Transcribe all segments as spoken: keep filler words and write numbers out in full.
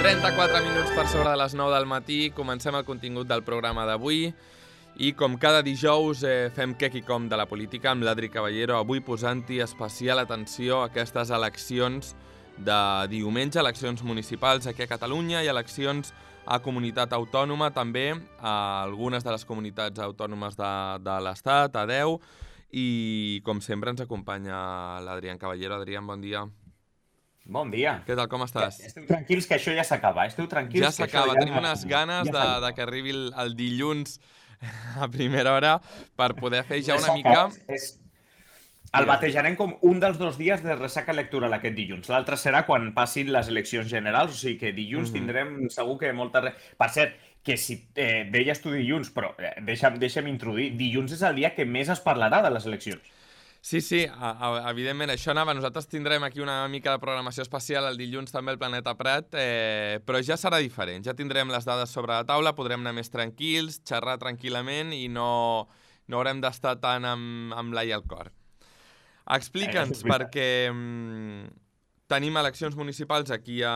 trenta-quatre minuts per sobre de les nou del matí. Comencem el contingut del programa d'avui. I com cada dijous eh, fem què i com de la política amb l'Adri Caballero, avui posant-hi especial atenció a aquestes eleccions de diumenge, eleccions municipals aquí a Catalunya i eleccions a comunitat autònoma, també a algunes de les comunitats autònomes de, de l'Estat, a deu. I com sempre ens acompanya l'Adrián Caballero. Adrián, bon dia. Bon dia. Què tal, com estàs? Esteu tranquils que això ja s'acaba. Esteu tranquils ja que s'acaba. això ja... Tenim unes ganes ja de, de que arribi el, el dilluns a primera hora per poder fer ja una mica... És... El batejarem com un dels dos dies de ressaca electoral aquest dilluns. L'altre serà quan passin les eleccions generals, o sigui que dilluns mm-hmm. tindrem segur que molta... Per cert, que si eh, deies tu dilluns, però eh, deixa'm, deixa'm introduir, dilluns és el dia que més es parlarà de les eleccions. Sí, sí, evidentment, això anava. Nosaltres tindrem aquí una mica de programació especial el dilluns també al Planeta Prat, eh, però ja serà diferent. Ja tindrem les dades sobre la taula, podrem anar més tranquils, xerrar tranquil·lament i no, no haurem d'estar tant amb, amb l'ai al cor. Explica'ns, eh, perquè mm, tenim eleccions municipals aquí a,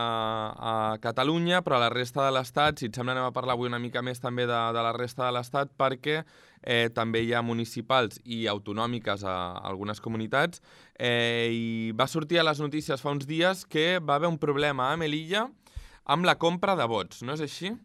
a Catalunya, però a la resta de l'Estat, si et sembla, anem a parlar avui una mica més també de, de la resta de l'Estat, perquè eh, també hi ha municipals i autonòmiques a, a algunes comunitats, eh, i va sortir a les notícies fa uns dies que va haver un problema a Melilla amb la compra de vots, no és així?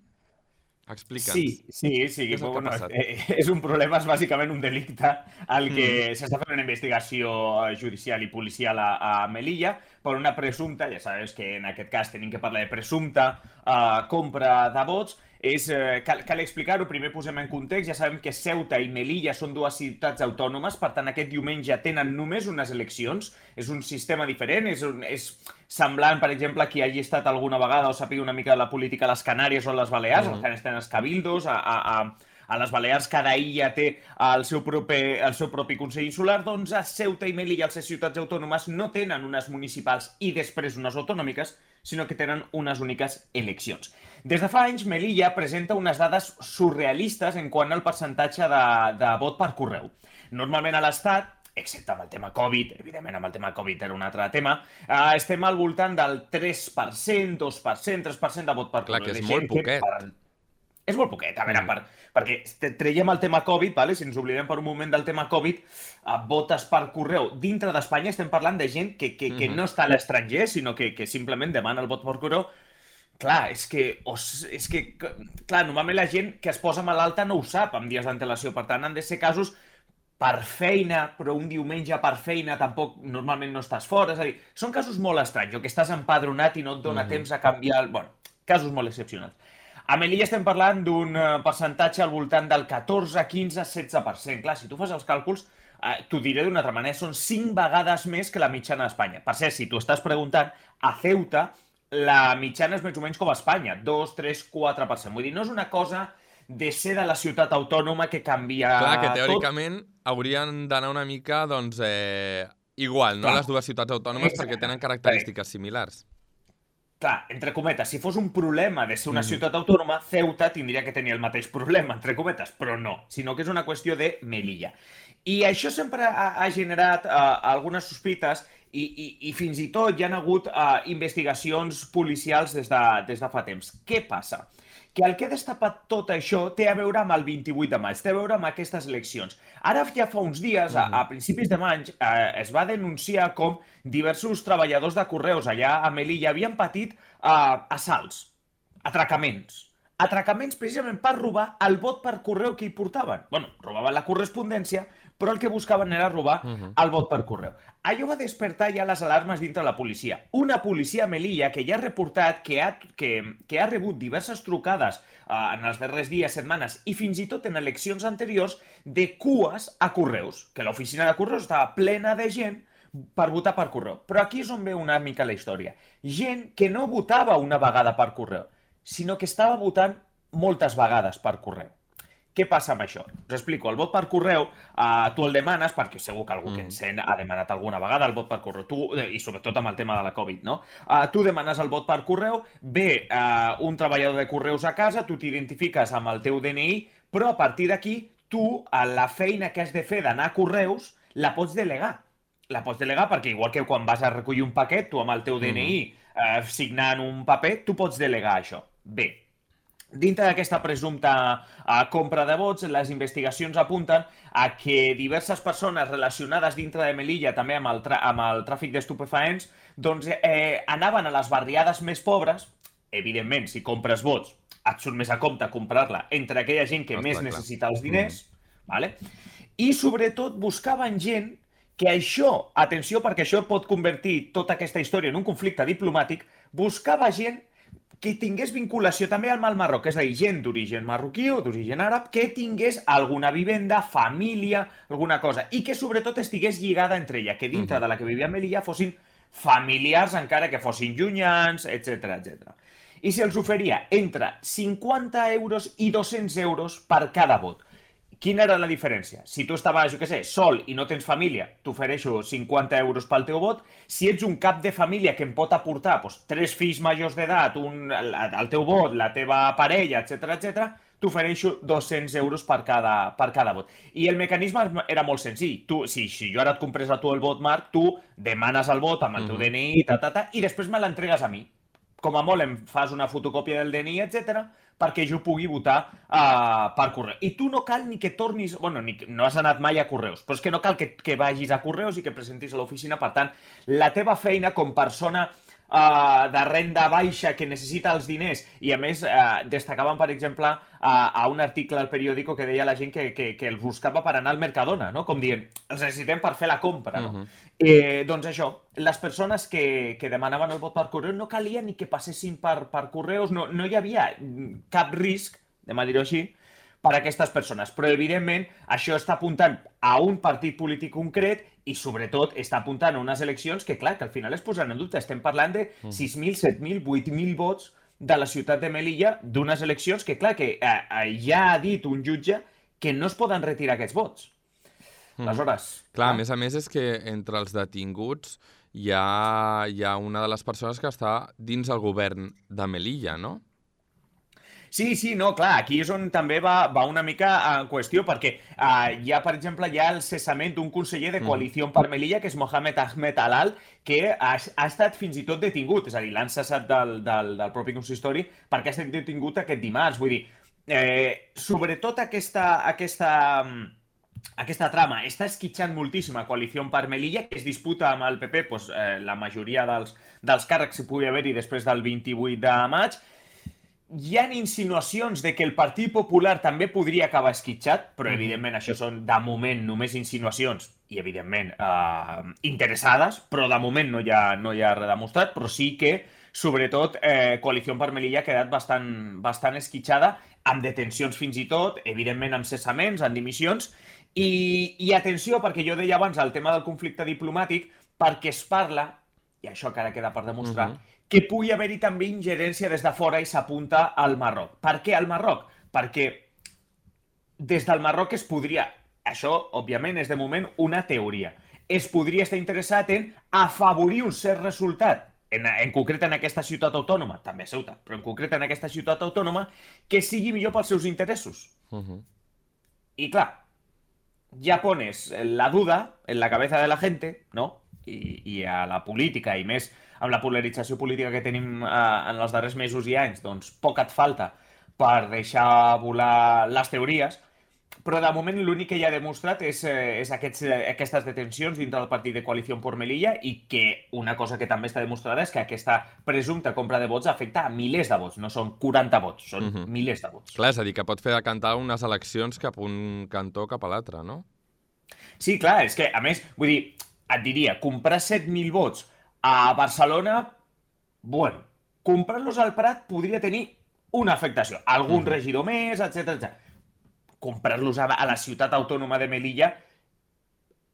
Explica'ns. Sí, sí, sí. Que bueno, és, és un problema, és bàsicament un delicte al que mm. s'està fent una investigació judicial i policial a, a Melilla per una presumpta, ja sabes que en aquest cas tenim que parlar de presumpta uh, compra de vots. És, uh, cal, cal explicar-ho, primer posem en context, ja sabem que Ceuta i Melilla són dues ciutats autònomes, per tant aquest diumenge tenen només unes eleccions, és un sistema diferent, és, un, és semblant, per exemple, qui hagi estat alguna vegada o sàpiga una mica de la política a les Canàries o a les Balears, mm. on estan els cabildos, a, a, a, a les Balears cada illa té el seu, propi, el seu propi Consell Insular, doncs a Ceuta i Melilla, les ciutats autònomes, no tenen unes municipals i després unes autonòmiques, sinó que tenen unes úniques eleccions. Des de fa anys, Melilla presenta unes dades surrealistes en quant al percentatge de, de vot per correu. Normalment a l'Estat, excepte amb el tema Covid, evidentment amb el tema Covid era un altre tema, eh, estem al voltant del tres per cent, dos per cent, tres per cent de vot per correu. Clar, que és molt poquet. Per... És molt poquet, a veure, mm. per, perquè traiem el tema Covid, vale? Si ens oblidem per un moment del tema Covid, eh, votes per correu. Dintre d'Espanya estem parlant de gent que, que, que mm. no està a l'estranger, sinó que, que simplement demana el vot per correu. Clar, és que, és que, clar, normalment la gent que es posa malalta no ho sap amb dies d'antelació, per tant han de ser casos per feina, però un diumenge per feina tampoc normalment no estàs fora, és a dir, són casos molt estranys, o que estàs empadronat i no et dona mm. temps a canviar, el... bueno, casos molt excepcionals. A Melilla estem parlant d'un percentatge al voltant del catorze, quinze, setze per cent. Clar, si tu fas els càlculs, eh, t'ho diré d'una altra manera, són cinc vegades més que la mitjana d'Espanya. Per cert, si tu estàs preguntant, a Ceuta la mitjana és més o menys com a Espanya, dos, tres, quatre per cent. Vull dir, no és una cosa de ser de la ciutat autònoma que canvia tot. Clar, que teòricament tot. Haurien d'anar una mica, doncs, eh, igual, no? Clar. Les dues ciutats autònomes, exacte, perquè tenen característiques similars. Clar, entre cometes, si fos un problema de ser una mm. ciutat autònoma, Ceuta tindria que tenir el mateix problema, entre cometes, però no, sinó que és una qüestió de Melilla. I això sempre ha, ha generat uh, algunes sospites i, i, i fins i tot hi ha hagut uh, investigacions policials des de, des de fa temps. Què passa? Que el que ha destapat tot això té a veure amb el vint-i-vuit de maig, té a veure amb aquestes eleccions. Ara ja fa uns dies, a, a principis de maig, eh, es va denunciar com diversos treballadors de correus allà a Melilla havien patit eh, assalts, atracaments. Atracaments precisament per robar el vot per correu que hi portaven. Bueno, robaven la correspondència, però el que buscaven era robar uh-huh. el vot per correu. Allò va despertar ja les alarmes dintre la policia. Una policia a Melilla que ja ha reportat que ha, que, que ha rebut diverses trucades uh, en els darrers dies, setmanes i fins i tot en eleccions anteriors de cues a correus, que l'oficina de correus estava plena de gent per votar per correu. Però aquí és on ve una mica la història. Gent que no votava una vegada per correu, sinó que estava votant moltes vegades per correu. Què passa amb això? Us explico. El vot per correu, uh, tu el demanes, perquè segur que algú que ens sent ha demanat alguna vegada el vot per correu, tu, i sobretot amb el tema de la Covid, no? Uh, tu demanes el vot per correu, ve uh, un treballador de correus a casa, tu t'identifiques amb el teu D N I, però a partir d'aquí, tu, la feina que has de fer d'anar a correus, la pots delegar. La pots delegar perquè, igual que quan vas a recollir un paquet, tu amb el teu D N I eh, signant un paper, tu pots delegar això. Bé, dintre d'aquesta presumpta uh, compra de vots, les investigacions apunten a que diverses persones relacionades dintre de Melilla, també amb el, amb el tràfic d'estupefaents, doncs eh, anaven a les barriades més pobres. Evidentment, si compres vots, et surt més a compte comprar-la entre aquella gent que no més necessita els diners, mm. vale? I sobretot buscaven gent que això, atenció, perquè això pot convertir tota aquesta història en un conflicte diplomàtic, buscava gent que tingués vinculació també amb el Marroc, és a dir, gent d'origen marroquí o d'origen àrab, que tingués alguna vivenda, família, alguna cosa, i que sobretot estigués lligada entre ella, que dintre uh-huh. de la que vivia Melilla fossin familiars, encara que fossin llunyans, etcètera, etcètera. I se'ls oferia entre cinquanta euros i dos-cents euros per cada vot. Quina era la diferència? Si tu estaves, jo què sé, sol i no tens família, t'ofereixo cinquanta euros pel teu vot. Si ets un cap de família que em pot aportar doncs, tres fills majors d'edat, el teu vot, la teva parella, etcètera, etcètera, t'ofereixo dos-cents euros per cada, per cada vot. I el mecanisme era molt senzill. Tu, si, si jo ara et comprés a tu el vot, Marc, tu demanes el vot amb el teu uh-huh. D N I, ta, ta, ta, i després me l'entregues a mi. Com a molt em fas una fotocòpia del D N I, etcètera, perquè jo pugui votar uh, per correu. I tu no cal ni que tornis... Bueno, ni, no has anat mai a Correus, però és que no cal que, que vagis a Correus i que presentis a l'oficina. Per tant, la teva feina com persona uh, de renda baixa que necessita els diners, i a més uh, destacaven, per exemple, uh, a un article al periòdico que deia la gent que, que, que els buscava per anar al Mercadona, no? Com dient, els necessitem per fer la compra, no? Uh-huh. Eh, doncs això, les persones que, que demanaven el vot per correu no calia ni que passessin per, per correus, no, no hi havia cap risc, anem a dir-ho així, per a aquestes persones. Però, evidentment, això està apuntant a un partit polític concret i, sobretot, està apuntant a unes eleccions que, clar, que al final es posen en dubte. Estem parlant de sis mil, set mil, vuit mil vots de la ciutat de Melilla d'unes eleccions que, clar, que eh, ja ha dit un jutge que no es poden retirar aquests vots. Aleshores... Clar, a més a més és que entre els detinguts hi ha, hi ha una de les persones que està dins el govern de Melilla, no? Sí, sí, no, clar, aquí és on també va, va una mica en qüestió, perquè uh, hi ha, per exemple, hi ha el cessament d'un conseller de Coalició per Melilla, que és Mohamed Ahmed Alal, que ha, ha estat fins i tot detingut, és a dir, l'han cessat del, del, del propi consistori perquè ha estat detingut aquest dimarts. Vull dir, eh, sobretot aquesta... aquesta Aquesta trama està esquitxant moltíssim a Coalició per Melilla, que es disputa amb el P P doncs, eh, la majoria dels, dels càrrecs que pugui haver-hi després del vint-i-vuit de maig. Hi ha insinuacions de que el Partit Popular també podria acabar esquitxat, però evidentment això són de moment només insinuacions i evidentment eh, interessades, però de moment no hi ha, no hi ha res demostrat, però sí que sobretot eh, Coalició per Melilla ha quedat bastant, bastant esquitxada, amb detencions fins i tot, evidentment amb cessaments, amb dimissions. I, I atenció, perquè jo deia abans el tema del conflicte diplomàtic, perquè es parla, i això encara queda per demostrar, uh-huh. que pugui haver-hi també ingerència des de fora i s'apunta al Marroc. Per què al Marroc? Perquè des del Marroc es podria, això òbviament és de moment una teoria, es podria estar interessat en afavorir un cert resultat, en, en concret en aquesta ciutat autònoma, també a Ceuta, però en concret en aquesta ciutat autònoma, que sigui millor pels seus interessos. Uh-huh. I clar, ja pones la duda en la cabeza de la gente, ¿no? I, i a la política, i més amb la polarització política que tenim eh, en els darrers mesos i anys, doncs poc et falta per deixar volar les teories, però de moment l'únic que ja ha demostrat és, eh, és aquests, eh, aquestes detencions dintre del partit de Coalició per Melilla, i que una cosa que també està demostrada és que aquesta presumpta compra de vots afecta a milers de vots, no són quaranta vots, són uh-huh. milers de vots. Clar, és a dir, que pot fer decantar unes eleccions cap un cantó cap a l'altre, no? Sí, clar, és que, a més, vull dir, et diria, comprar set mil vots a Barcelona, bueno, comprar-los al Prat podria tenir una afectació. Algun uh-huh. regidor més, etcètera, etcètera. Comprar-los a, a la ciutat autònoma de Melilla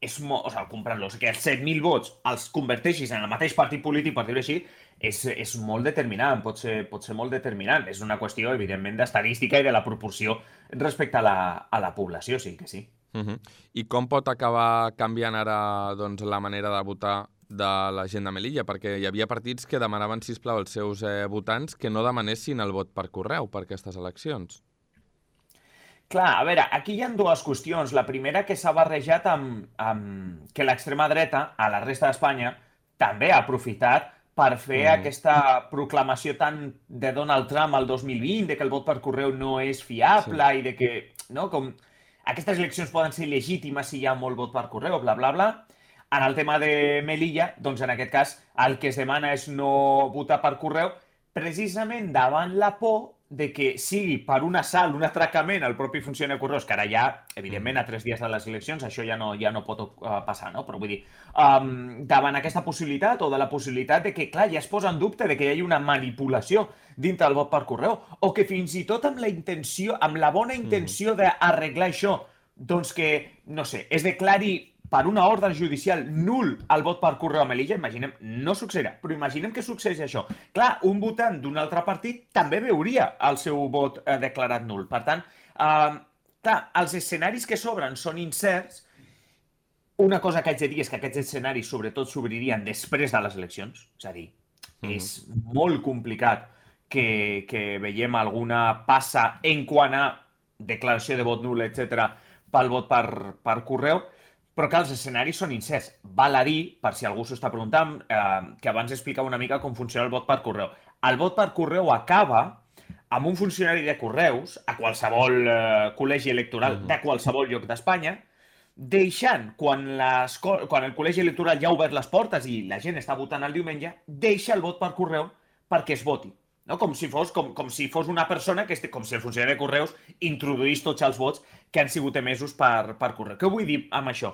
és molt... O sigui, comprar-los, que els set mil vots els converteixis en el mateix partit polític, per dir-ho així, és, és molt determinant, pot ser, pot ser molt determinant. És una qüestió, evidentment, d'estadística i de la proporció respecte a la, a la població, sí que sí. Uh-huh. I com pot acabar canviant ara doncs, la manera de votar de la gent de Melilla? Perquè hi havia partits que demanaven, sisplau, als seus eh, votants que no demanessin el vot per correu per aquestes eleccions. Clar, a veure, aquí hi ha dues qüestions. La primera, que s'ha barrejat amb, amb que l'extrema dreta, a la resta d'Espanya, també ha aprofitat per fer Mhm. aquesta proclamació tant de Donald Trump al dos mil vint, de que el vot per correu no és Sí. fiable i de que, no, com aquestes eleccions poden ser legítimes si hi ha molt vot per correu, bla, bla, bla. En el tema de Melilla, doncs en aquest cas el que es demana és no votar per correu, precisament davant la por de que sigui per un assalt, un atracament al propi funcionari de correus, que ara ja, evidentment, a tres dies de les eleccions, això ja no, ja no pot uh, passar, no? Però vull dir, um, davant aquesta possibilitat o de la possibilitat de que, clar, ja es posa en dubte de que hi hagi una manipulació dintre del vot per correu, o que fins i tot amb la intenció, amb la bona intenció d'arreglar això, doncs que, no sé, es declari per una ordre judicial nul el vot per correu a Melilla, imaginem, no succeirà, però imaginem que succeeix això. Clar, un votant d'un altre partit també veuria el seu vot eh, declarat nul. Per tant, eh, clar, els escenaris que s'obren són incerts. Una cosa que haig de dir és que aquests escenaris sobretot s'obririen després de les eleccions, és a dir, Mhm. és molt complicat que, que veiem alguna passa en quant a declaració de vot nul, etcètera, pel vot per, per correu, però que els escenaris són incerts. Val a dir, per si algú s'ho està preguntant, eh, que abans explicava una mica com funciona el vot per correu. El vot per correu acaba amb un funcionari de correus a qualsevol eh, col·legi electoral Mhm. de qualsevol lloc d'Espanya, deixant, quan, les, co- quan el col·legi electoral ja ha obert les portes i la gent està votant el diumenge, deixa el vot per correu perquè es voti. No? Com, si fos, com, com si fos una persona, que este, com si el funcionari de correus introduís tots els vots que han sigut emesos per, per correu. Què vull dir amb això?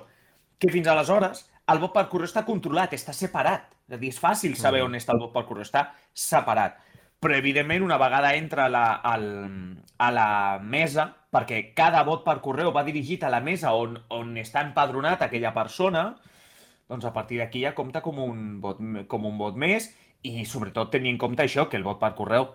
Que fins aleshores el vot per correu està controlat, està separat. És a dir, és fàcil saber Mhm. on està el vot per correu, està separat. Però, evidentment, una vegada entra a la, al, a la mesa, perquè cada vot per correu va dirigit a la mesa on, on està empadronat aquella persona, doncs a partir d'aquí ja compta com un vot, com un vot més i, sobretot, tenir en compte això, que el vot per correu,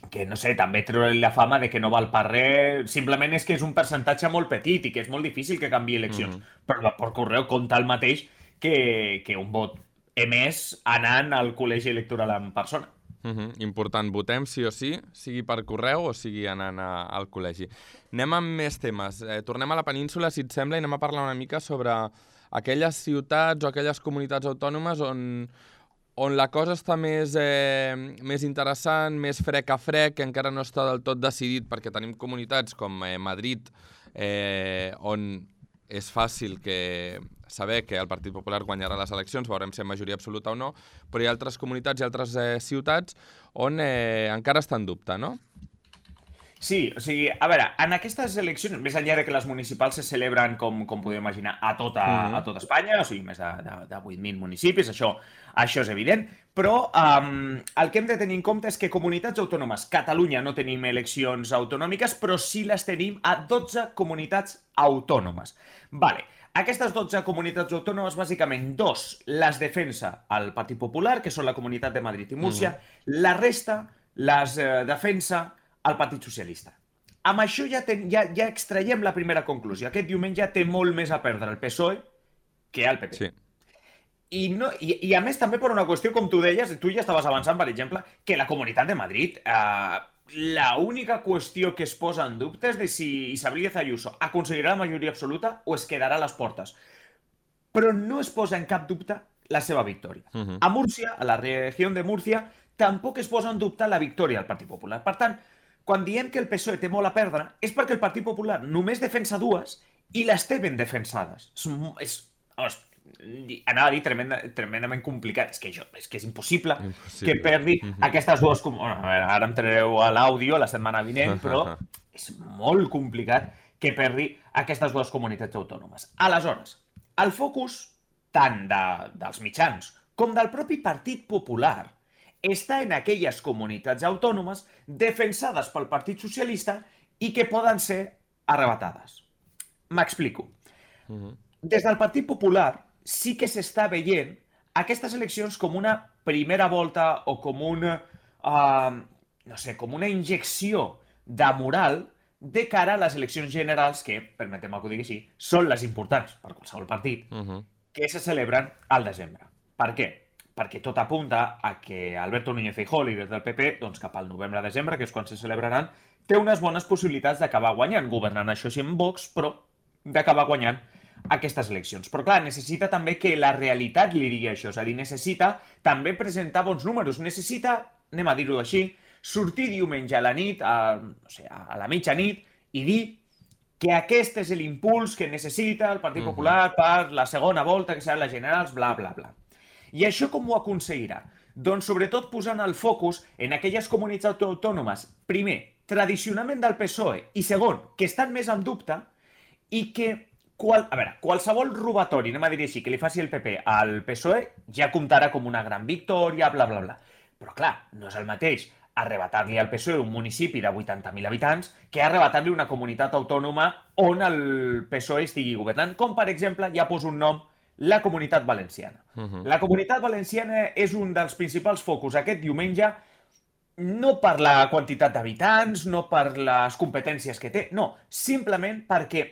que, no sé, també treure la fama de que no val per res, simplement és que és un percentatge molt petit i que és molt difícil que canviï eleccions. Mhm. Però el vot per correu compta el mateix que, que un vot emès anant al col·legi electoral en persona. Mhm. Important, votem sí o sí, sigui per correu o sigui anant a, al col·legi. Anem amb més temes. Eh, tornem a la península, si et sembla, i anem a parlar una mica sobre aquelles ciutats o aquelles comunitats autònomes on, on la cosa està més, eh, més interessant, més frec a frec, que encara no està del tot decidit, perquè tenim comunitats com eh, Madrid, eh, on és fàcil que saber que el Partit Popular guanyarà les eleccions, veurem si en majoria absoluta o no, però hi ha altres comunitats i altres eh, ciutats on eh, encara està en dubte, no? Sí, o sigui, a veure, en aquestes eleccions, més enllà de que les municipals se celebren, com, com podeu imaginar, a tota, Mhm. a tota Espanya, o sigui, més de, de, de vuit mil municipis, això, això és evident, però um, el que hem de tenir en compte és que comunitats autònomes, Catalunya no tenim eleccions autonòmiques, però sí les tenim a dotze comunitats autònomes. Vale. Aquestes dotze comunitats autònomes, bàsicament, dos les defensa el Partit Popular, que són la Comunitat de Madrid i Múrcia, la resta les eh, defensa el Partit Socialista. Amb això ja, ten, ja, ja extraiem la primera conclusió. Aquest diumenge té molt més a perdre el P S O E que el P P. Sí. I, no, i, I a més també per una qüestió, com tu deies, tu ja estaves avançant, per exemple, que la Comunitat de Madrid, eh, la única qüestió que es posa en dubte és de si Isabel Díaz Ayuso aconseguirà la majoria absoluta o es quedarà a les portes. Però no es posa en cap dubte la seva victòria. Mhm. A Múrcia, a la regió de Múrcia, tampoc es posa en dubte la victòria del Partit Popular. Per tant, quan diem que el P S O E té molt a perdre, és perquè el Partit Popular només defensa dues i les té ben defensades. És, és, és anava a dir tremenda, tremendament complicat. És que, això, és que és impossible, Impossible. que perdi Mhm. aquestes dues... com- Bueno, a veure, ara em traureu a l'àudio la setmana vinent, però és molt complicat que perdi aquestes dues comunitats autònomes. Aleshores, el focus tant de, dels mitjans com del propi Partit Popular està en aquelles comunitats autònomes defensades pel Partit Socialista i que poden ser arrebatades. M'explico. Mhm. Des del Partit Popular sí que s'està veient aquestes eleccions com una primera volta o com una, uh, no sé, com una injecció de moral de cara a les eleccions generals que, permetem-me que ho digui així, són les importants per qualsevol partit, Mhm. que se celebren al desembre. Per què? Perquè tot apunta a que Alberto Núñez Feijóo, líder del P P, doncs cap al novembre-desembre, que és quan se celebraran, té unes bones possibilitats d'acabar guanyant, governant això sí amb Vox, però d'acabar guanyant aquestes eleccions. Però clar, necessita també que la realitat li digui això, és a dir, necessita també presentar bons números, necessita, anem a dir-ho així, sortir diumenge a la nit, a, no sé, a la mitjanit, i dir que aquest és l'impuls que necessita el Partit Popular per la segona volta, que seran les generals, bla, bla, bla. I això com ho aconseguirà? Doncs sobretot posant el focus en aquelles comunitats autònomes, primer, tradicionalment del P S O E, i segon, que estan més en dubte i que, qual, a veure, qualsevol robatori, anem a dir així, que li faci el P P al P S O E, ja comptarà com una gran victòria, bla, bla, bla. Però clar, no és el mateix arrebatar-li al P S O E un municipi de vuitanta mil habitants que arrebatar-li una comunitat autònoma on el P S O E estigui governant, com per exemple, ja poso un nom, la Comunitat Valenciana. Uh-huh. La Comunitat Valenciana és un dels principals focus aquest diumenge, no per la quantitat d'habitants, no per les competències que té, no, simplement perquè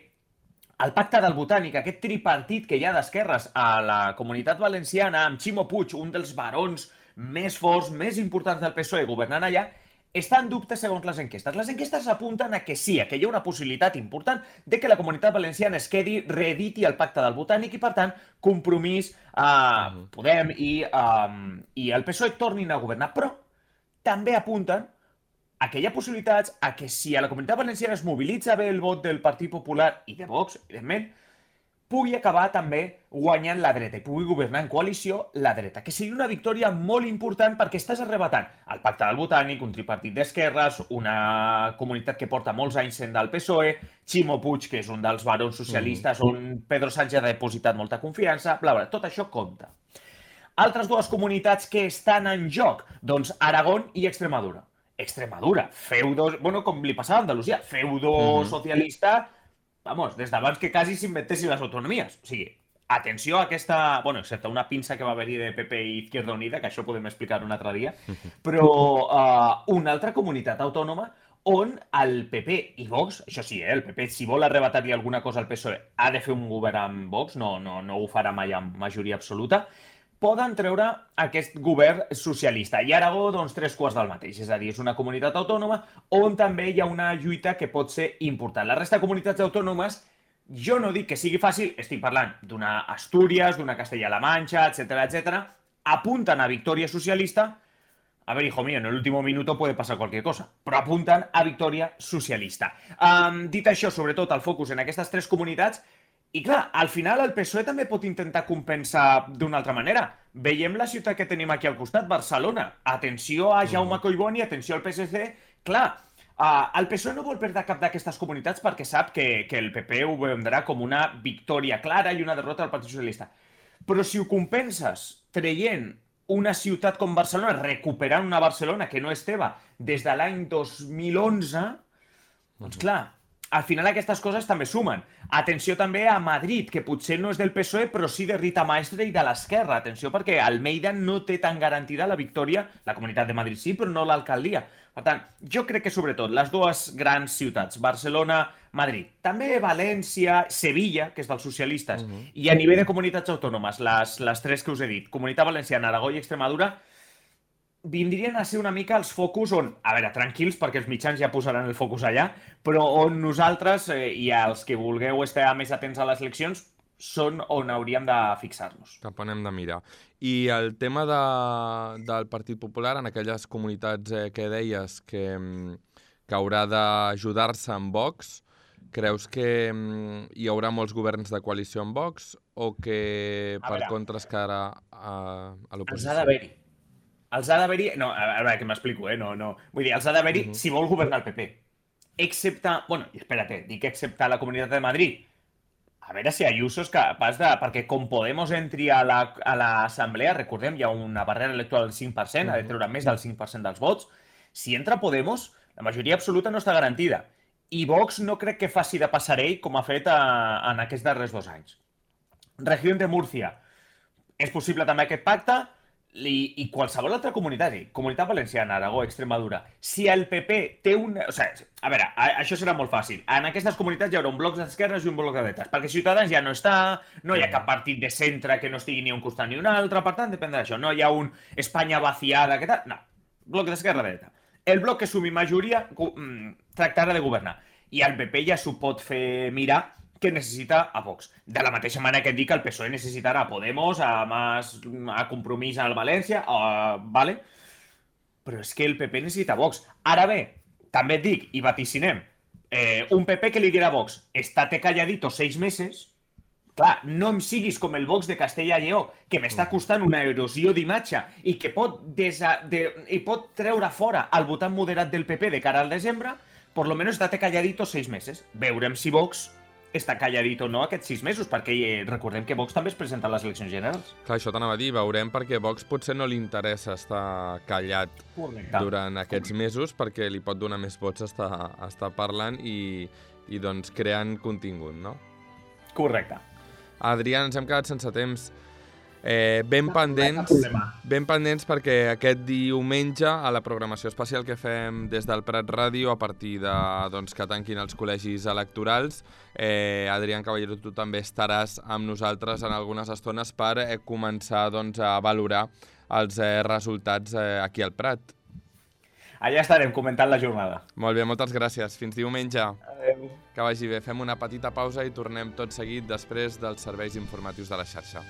el pacte del Botànic, aquest tripartit que hi ha d'esquerres a la Comunitat Valenciana, amb Ximo Puig, un dels barons més forts, més importants del P S O E governant allà, està en dubte segons les enquestes. Les enquestes apunten a que sí, a que hi ha una possibilitat important de que la Comunitat Valenciana es quedi, reediti el pacte del Botànic i, per tant, Compromís, eh, Podem i, eh, i el P S O E tornin a governar. Però també apunten a que hi ha possibilitats a que si a la Comunitat Valenciana es mobilitza bé el vot del Partit Popular i de Vox, evidentment, pugui acabar també guanyant la dreta i pugui governar en coalició la dreta, que seria una victòria molt important perquè estàs arrebatant el pacte del Botànic, un tripartit d'esquerres, una comunitat que porta molts anys sent del P S O E, Ximo Puig, que és un dels barons socialistes, mm. on Pedro Sánchez ha depositat molta confiança, bla, bla, tot això compta. Altres dues comunitats que estan en joc, doncs Aragón i Extremadura. Extremadura, feudo, bueno, com li passava a Andalusia, feudo mm-hmm. socialista, vamos, des d'abans que quasi s'inventessin les autonomies. O sigui, atenció a aquesta... Bueno, excepte una pinça que va haver-hi de P P i Izquierda Unida, que això podem explicar un altre dia, però uh, una altra comunitat autònoma on el P P i Vox, això sí, eh, el P P, si vol arrebatar-li alguna cosa al P S O E, ha de fer un govern amb Vox, no, no, no ho farà mai amb majoria absoluta, poden treure aquest govern socialista. I Aragó, doncs, tres quarts del mateix. És a dir, és una comunitat autònoma on també hi ha una lluita que pot ser important. La resta de comunitats autònomes, jo no dic que sigui fàcil, estic parlant d'una Astúries, d'una Castella-La Manxa, etcètera, etcètera, apunten a victòria socialista. A ver, hijo mío, en el último minuto puede pasar cualquier cosa, però apunten a victòria socialista. Um, dit això, sobretot, el focus en aquestes tres comunitats. I clar, al final el P S O E també pot intentar compensar d'una altra manera. Veiem la ciutat que tenim aquí al costat, Barcelona. Atenció a Jaume Collboni, atenció al P S C. Clar, uh, el P S O E no vol perdre cap d'aquestes comunitats perquè sap que, que el P P ho vendrà com una victòria clara i una derrota del Partit Socialista. Però si ho compenses traient una ciutat com Barcelona, recuperant una Barcelona que no és teva des de l'any dos mil onze, doncs clar, al final aquestes coses també sumen. Atenció també a Madrid, que potser no és del P S O E, però sí de Rita Maestre i de l'esquerra. Atenció perquè Almeida no té tan garantida la victòria, la Comunitat de Madrid sí, però no l'alcaldia. Per tant, jo crec que sobretot les dues grans ciutats, Barcelona, Madrid, també València, Sevilla, que és dels socialistes, uh-huh. i a nivell de comunitats autònomes, les, les tres que us he dit, Comunitat Valenciana, Aragó i Extremadura, vindrien a ser una mica els focus on, a veure, tranquils, perquè els mitjans ja posaran el focus allà, però on nosaltres eh, i els que vulgueu estar més atents a les eleccions són on hauríem de fixar-nos. Cap on hem de mirar. I el tema de, del Partit Popular, en aquelles comunitats eh, que deies que, que haurà d'ajudar-se amb Vox, creus que hi haurà molts governs de coalició amb Vox o que per veure, contra es quedarà a, a l'oposició? Els ha d'haver-hi. Els ha d'haver-hi... No, a veure, que m'explico, eh? No, no. Vull dir, els ha d'haver-hi uh-huh. si vol governar el P P. Excepte... Bueno, espérate, dic excepte la Comunitat de Madrid. A veure si Ayuso és capaç de... Perquè com Podemos entri a l'assemblea, la, recordem, hi ha una barrera electoral del cinc per cent, uh-huh. ha de treure més del cinc per cent dels vots. Si entra Podemos, la majoria absoluta no està garantida. I Vox no crec que faci de passarell com ha fet a, en aquests darrers dos anys. Regió de Múrcia. És possible també aquest pacte... I, i qualsevol altra comunitat, Comunitat Valenciana, Aragó, Extremadura, si el P P té un... O sigui, a veure, a, això serà molt fàcil. En aquestes comunitats hi haurà un bloc d'esquerres i un bloc de dretes, perquè Ciutadans ja no està, no hi ha cap partit de centre que no estigui ni un costat ni un altre, per tant, depèn d'això. No hi ha un Espanya vaciada, què tal? No, bloc d'esquerra dreta. El bloc que sumi majoria tractarà de governar. I el P P ja s'ho pot fer mirar que necessita a Vox. De la mateixa manera que et dic que el P S O E necessitarà a Podemos, a, Mas, a Compromís al València, a, vale? Però és que el P P necessita Vox. Ara bé, també et dic, i vaticinem, eh, un P P que li dirà a Vox, estate calladito seis meses, clar, no em siguis com el Vox de Castella i Lleó, que m'està costant una erosió d'imatge i que pot, desa, de, i pot treure fora el votant moderat del P P de cara al desembre, por lo menos estate calladito seis meses. Veurem si Vox està calladit o no aquests sis mesos, perquè eh, recordem que Vox també es presenta a les eleccions generals. Clar, això t'anava a dir, veurem perquè Vox potser no li interessa estar callat Correcte. Durant aquests mesos, perquè li pot donar més vots estar, estar parlant i, i doncs creant contingut, no? Correcte. Adrià, ens hem quedat sense temps. Eh, ben pendents, ben pendents perquè aquest diumenge a la programació especial que fem des del Prat Ràdio a partir de doncs, que tanquin els col·legis electorals, eh, Adrián Caballero, tu també estaràs amb nosaltres en algunes estones per eh, començar doncs, a valorar els eh, resultats eh, aquí al Prat. Allà estarem comentant la jornada. Molt bé, moltes gràcies. Fins diumenge. Adéu. Que vagi bé. Fem una petita pausa i tornem tot seguit després dels serveis informatius de la xarxa.